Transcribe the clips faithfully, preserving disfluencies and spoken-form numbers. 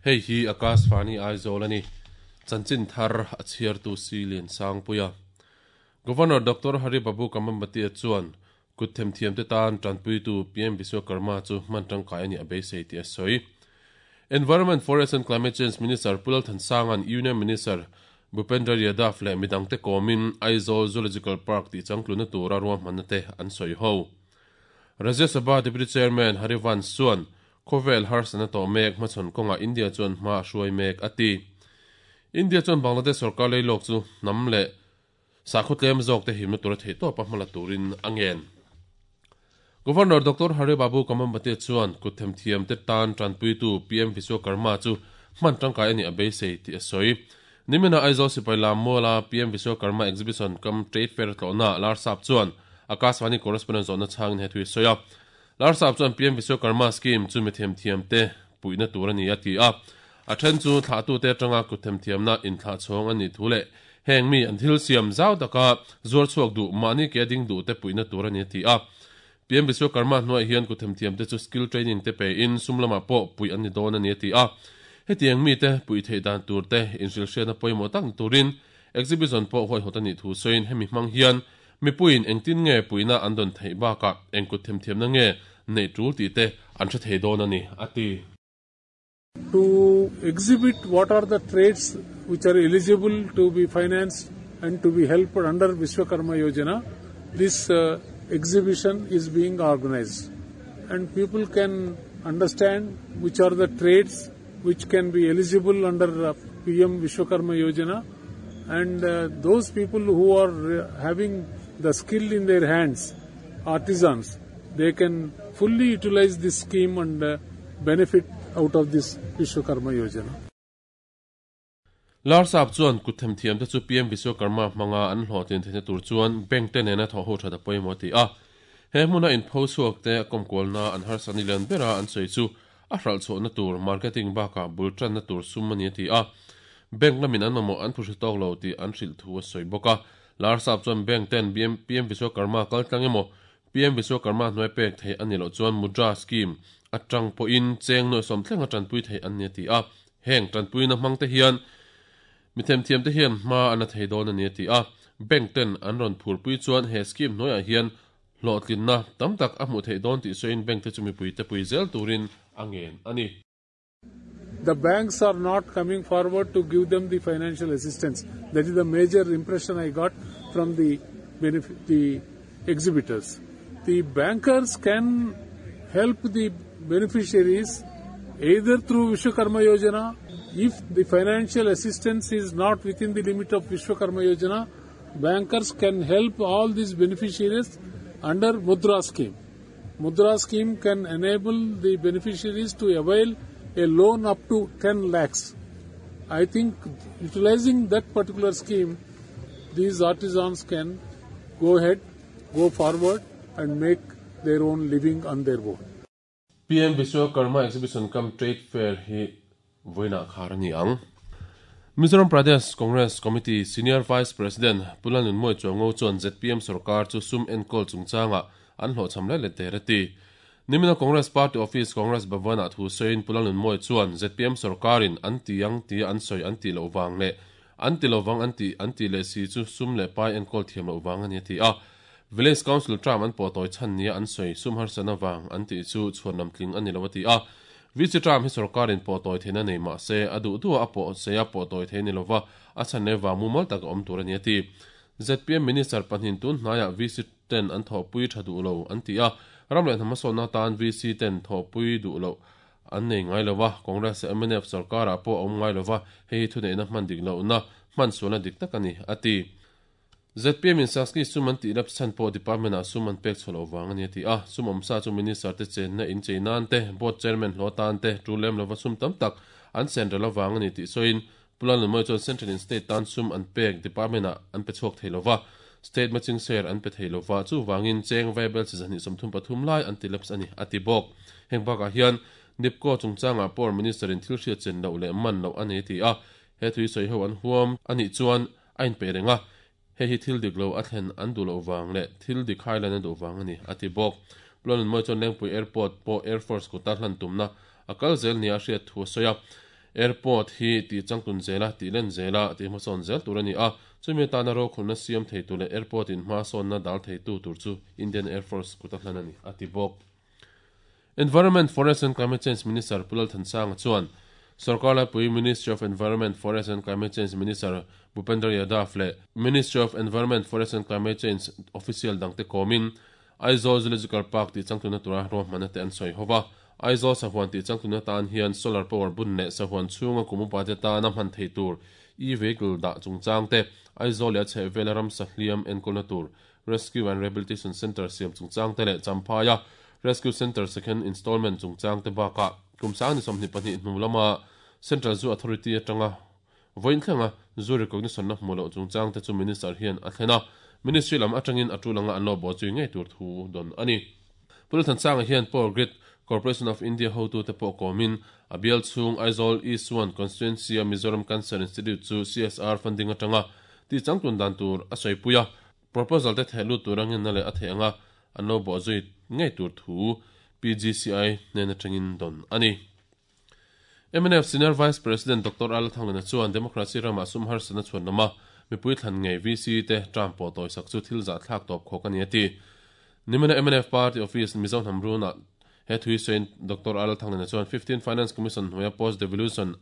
Hei hi Akashvani Aizawl ani. Chanchin thar a chhiar tu si lian sang puia. Governor Doctor Hari Babu Kambhampati chuan kut them thiam te tan tanpui tu P M Vishwakarma chu hman tangkai ani a beisei ti a sawi. Environment, Forest and Climate Change Minister Pulal Thansangan Union Minister Bhupendra Yadav le midangte komin Aizawl Zoological Park ti changtluna tura ruahmanna te an sawi ho. Rajya Sabha Deputy Chairman Harivansh chuan Khovel harsana to mek hmachhawn kawnga India chuan hma a hruai mek ati. India chuan Bangladesh sarkar leilawk chu hnam le sakhaw tlem zawk te himna tura theih tawp a hmala turin a ngen. Governor Doctor Hari Babu Kambhampati chuan kut them thiam te tan tanpui tu P M Vishwakarma chu hman tangkai ani a beisei ti a sawi. Nimina Aizawl Sipai Lam Mawla P M Vishwakarma Exhibition kam Trade Fair tlawhna Larsap chuan Akashvani correspondent zawhna chhangin he thui sawi a. Larsap chuan P M Vishwakarma scheme chu mi them thiam te puihna tur ani a ti a. A then chu thlah tu te atanga kut them thiamna in thlah chhawng ani thu le heng mi an thil siam zau taka zuar chhuak du mahni ke ding du te puihna tur ani a ti a. P M Vishwakarma hnuai hian kut them thiam te chu skill training te pe in sumlama pawh pui ani dawn ani a ti a. Hetiang mi te pui thei dan tur te inhril hriatna pawimawh tak turin exhibition pawh huai hawt ani thu sawiin hemi hmang hian mi puiin engtin nge puina an dawn theih bakah engkut them thiamna nge nei tul ti te an hre thei dawn ani a ti. To exhibit what are the trades which are eligible to be financed and to be helped under Vishwakarma Yojana, this uh, exhibition is being organized and people can understand which are the trades which can be eligible under uh, P M Vishwakarma Yojana, and uh, those people who are uh, having the skill in their hands, artisans, they can fully utilize this scheme and uh, benefit out of this Vishwakarma Yojana. Larsap chuan kut them thiam te chu P M Vishwakarma hmanga an hlawhtlin theihna tur chuan bank te nena thaw ho thada pawimawh ti a. He hmuna in pho chhuak te kawmkualna an harsani lian bera an sawi chu a hral chhuahna tur marketing bakah bul tanna tur sum ani a ti a. Bank lamin an mamawh an phuhri tawk lo tih an hrilh thu a sawi bawk a. Larsap chuan bank ten P M Vishwakarma kal tlang emaw P M Vishwakarma hnuai pek thei ani loh chuan Mudra scheme atang pawhin cheng nawi sawm thleng a tanpui thei an ni a ti a. Heng tanpuina hmang te hian mi them thiam te hian hma an a thei dawn ani a ti a. Bank ten an rawn phurpui chuan he scheme hnuaiah hian hlawhtlinna tam tak a hmuh theih dawn tih sawiin bank te chu mipui te pui zel turin a ngen ani. The banks are not coming forward to give them the financial assistance. That is the major impression I got from the benefit, the exhibitors. The bankers can help the beneficiaries either through Vishwakarma Yojana. If the financial assistance is not within the limit of Vishwakarma Yojana, bankers can help all these beneficiaries under Mudra scheme. Mudra scheme can enable the beneficiaries to avail a loan up to ten lakhs. I think utilizing that particular scheme, these artisans can go ahead, go forward and make their own living on their own. P M Vishwakarma Exhibition cum Trade Fair hi voina kharani ang. Mizoram Pradesh Congress Committee Senior Vice President Pulanun Moi Chuango chuan Z P M sarkar chu sum enkol chungchanga an hlawhchham lai le terati. Nimina Congress Party Office Congress Bhavan thu sawiin Pulanun Moi chuan Z P M sarkarin an ti ang ti an sawi an ti lo wang le an ti lo wang an ti an ti le si chu sum le pai enkol thiam lo wang ani ti a. Village Council tram an pawh tawi chhan nia an sawi sum harsana wang an ti chu chhuan tling ani lo ti a. V C tram hi sarkarin pawh tawi theina nei ma se a duh duh a pawh se a pawh tawi thei ni lova a chhan le wang mumal tak awm tur ani a ti. Z P M Minister pahnih tun hnaiah V C ten an thawhpui tha duh lo an ti a. Ram leh hnam sawna tan V C ten thawhpui duh lo an nei ngai lova Congress M N F sarkarah pawh awm ngai lova hei thu neihna hman dik lohna hman sualna dik tak ani a ti. Z P M in Saski sum an tih lap chhan pawh department ah sum an pek chhuah lo wang ani a ti a. Sum awm sa chu minister te chenna in cheinan te board chairman hlaw tan te tul lem lova sum tam tak an central awang ani tih sawiin Pulanun Moi chuan central in state tan sum an pek department ah an pe chhuak thei lova state matching share an pe thei lova chu wangin cheng vaibel chi zani sawmthum pathum lai an ti laps ani a ti bawk. Heng bakah hian Nipco chungchangah pawh minister in thil hriat chen loh leh man loh ani ti a. He thui sawi ho an huam ani chuan a inpe renga. He hi thil dik lo a thlen an duh loh wang le thil dik hai lan an duh wang ani a ti bawk. Pulanun Moi chuan Lengpui Airport pawh Air Force kuta hlan tumna a kal zel nia hriat thu a sawi a. Airport hi ti changtun zela ti len zela ti hmasawn zel tur ani a chumi tana ro khulna siam thei tu le airport in hma sawn na dal thei tu tur chu Indian Air Force kuta hlan ani ati bawk. Environment, Forest and Climate Change Minister Pu Lalthansanga chuan Sarkar Laipui Ministry of Environment, Forest and Climate Change Minister Bhupender Yadav leh Ministry of Environment, Forest and Climate Change official dangte kawmin Aizawl Zoological Park tih changtuna tura ruahmanna te an sawi hova. Aizawl sahuan tih changtuna tan hian solar power bun leh sahuan chhunga kum upa te tana hman thei tur e-vehicle dah chungchang te, Aizawl leh a chhehvela ramsa hliam enkawlna tur Rescue and Rehabilitation Centre siam chungchang te leh Champhaia Rescue Centre second installment chungchang te bakah kum sang ni sawmhnih pahnih hnu lama Central Zoo Authority atanga vawiin thlenga Zoo recognition na hmuh loh chungchang te chu Minister hian a thlen a, Ministry lam atangin a tul anga an lo bawh zui ngei tur thu dawn a ni. Pu Lalthansanga hian Power Grid Corporation of India hotute pawh kawmin a bial chhung Aizawl East one Constituency-a Mizoram Cancer Institute chu C S R funding atanga tih changtlun dan tur a sawipui a, proposal te theh lut tur a ngenna leh a theih anga an lo bawh zui ngei tur thu P G C I hnen atangin dawn a ni. M N F Senior Vice President Doctor Al Thanglana chuan Democracy ramah sum harsatna chhuan lama mipui thlan ngei V C te term pawh tawisak chu thil zah thlak tawp khawk a ni a ti. Nimina M N F Party Office Mizo hnam runah he thui sawiin Doctor Al Thanglana chuan fifteen Finance Commission hnuaia post devolution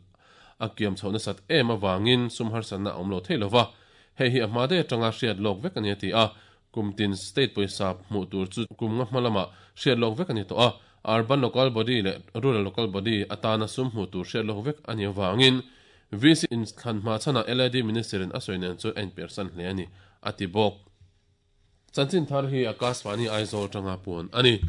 a kiam chhoh nasat em avangin sum harsatna a awm lo thei lova, hei hi a hma daih atanga hriat lawk vek a ni a ti a. Kumtin state pawisa hmuh tur chu kum nga hma lamah hriat lawk vek a ni tawh a, urban local body leh rural local body atana sum hmuh tur hriat lawk vek a ni avangin V C in thlan hma chhanah L I D Minister in a sawi nen chu a inpersan hle a ni a ti bawk. Chanchin thar hi Akashvani Aizawl tanga puan a ni.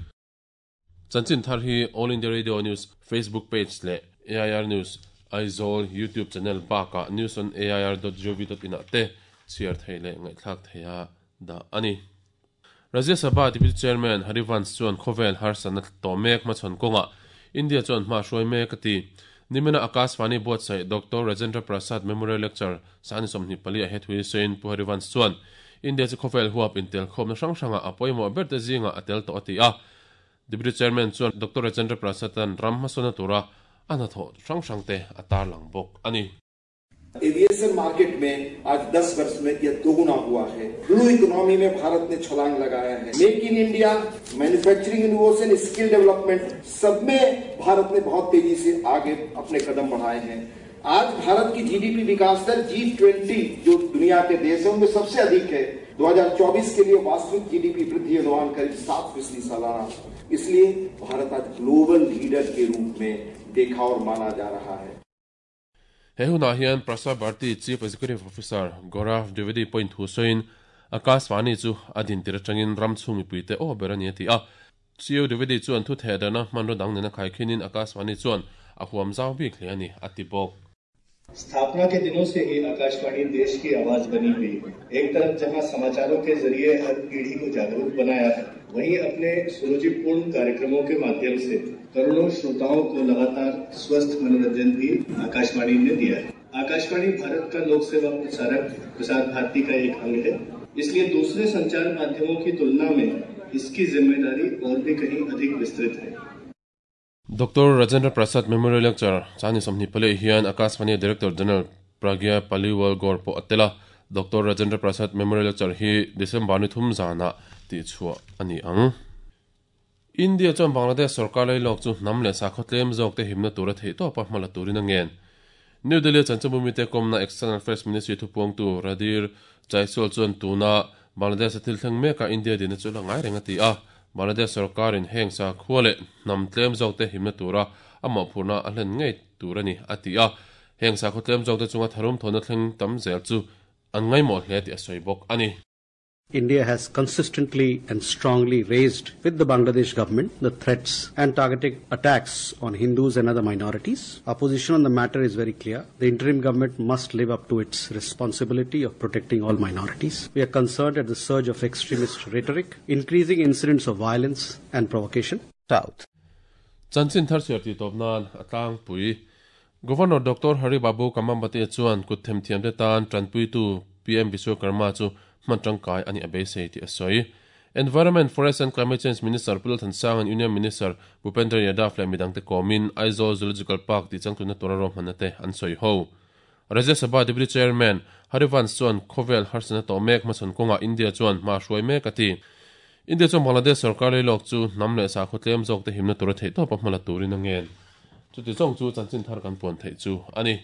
Chanchin thar hi All India Radio News Facebook page leh A I R News Aizawl YouTube channel bakah news on A I R dot gov dot in ah te chhiar thei leh ngaihthlak thei a dah a ni. Rajya Sabha Deputy Chairman Harivansh chuan khawvel harsatna tawh mek hmachhawn kawngah India chuan hma hruai mek a ti. Nimina Akashvani buatsaih Doctor Rajendra Prasad Memorial Lecture sani sawmhnih pali a hethui sawiin Pu Harivansh chuan India chu khawvel huap intel khawmna hrang hrangah a pawimawh ber te zingah a tel tawh a ti a. Deputy Chairman chuan Doctor Rajendra Prasad-an ram hmasawna tura a hnathawh hrang hrang te a tarlang bawk a ni. Aviation market में आज दस वर्ष में यह दोगुना हुआ है। Blue economy में भारत ने छलांग लगाया है। Make in India, manufacturing innovation, skill development सब में भारत ने बहुत तेजी से आगे अपने कदम बढ़ाए हैं। आज भारत की जीडीपी विकास दर जी ट्वेंटी जो दुनिया के देश है उनमें सबसे अधिक है। दो हज़ार चौबीस के लिए वास्तविक जीडीपी वृद्धि अनुमान करीब सात फीसदी सालाना। इसलिए भारत आज ग्लोबल लीडर के रूप में देखा और माना जा रहा है। He hunah hian Prasar Bharati Chief Executive Officer Gaurav Dwivedi point thu sawiin Akashvani chu a din tir atangin ram chhung mipui te aw ber a ni a ti a. C E O Dwivedi chuan thu theh dana hmanraw dang nena khaikhinin Akashvani chuan a huam zau bik hle a ni a ti bawk. स्थापना के दिनों से ही आकाशवाणी देश की आवाज बनी हुई है। एक तरफ जहां समाचारों के जरिए हर पीढ़ी को जागरूक बनाया है, वहीं अपने सुरुचिपूर्ण कार्यक्रमों के माध्यम से करोड़ों श्रोताओं को लगातार स्वस्थ मनोरंजन भी आकाशवाणी ने दिया है। आकाशवाणी भारत का लोक सेवा प्रसारक प्रसार भारती का एक अंग है, इसलिए दूसरे संचार माध्यमों की तुलना में इसकी जिम्मेदारी और भी कहीं अधिक विस्तृत है। Doctor Rajendra Prasad Memorial Lecture chani sawmhnih pali hian Akashvani Director General Pragya Paliwal Gaur pawh a tel a. Doctor Rajendra Prasad Memorial Lecture hi December ni thum zana tih chhuah a ni ang. India chuan Bangladesh sarkar lai lawk chu hnam leh sakhaw tlem zawk te himna tura theih tawp a hmala turin a ngen. New Delhi chanchinbumi te kawmna External Affairs Ministry thupuangtu Randhir Jaiswal chuan tuna Bangladesh a thil thleng meka India dina chu la ngai reng a ti a. Bangladesh sarkar in heng sa khua leh hnam tlem zawk te himna tura a mawhphurna a hlen ngei tur a ni a ti a. Heng sakhaw tlem zawk te chunga tharum thawna thleng tam zel chu an ngaimawh hle tih a sawi bawk a ni. India has consistently and strongly raised with the Bangladesh government the threats and targeted attacks on Hindus and other minorities. Our position on the matter is very clear. The interim government must live up to its responsibility of protecting all minorities. We are concerned at the surge of extremist rhetoric, increasing incidents of violence and provocation. South. Chanchin thar siar ti tawp nan atlang pui. Governor Doctor Hari Babu Kambhampati chuan kut them thiam te tan tanpui tu P M Vishwakarma chu hman tangkai ani a beisei ti a sawi. Environment, Forest and Climate Change Minister Pu Lalthansang and Union Minister Bhupendra Yadav leh midangte kawmin Aizawl Zoological Park tih changtlunna tura ruahmanna te an sawi ho. Rajya Sabha Deputy Chairman Harivansh chuan khawvel harsatna tawh mek hmachhawn kawngah India chuan hma hruai mek a ti. India chuan Bangladesh sorkar leilawk chu hnam leh sakhaw tlem zawk te himna tura theihtawpa hmala turin a ngen. Chuti zawng chu chanchin thar kan puan theih chu a ni.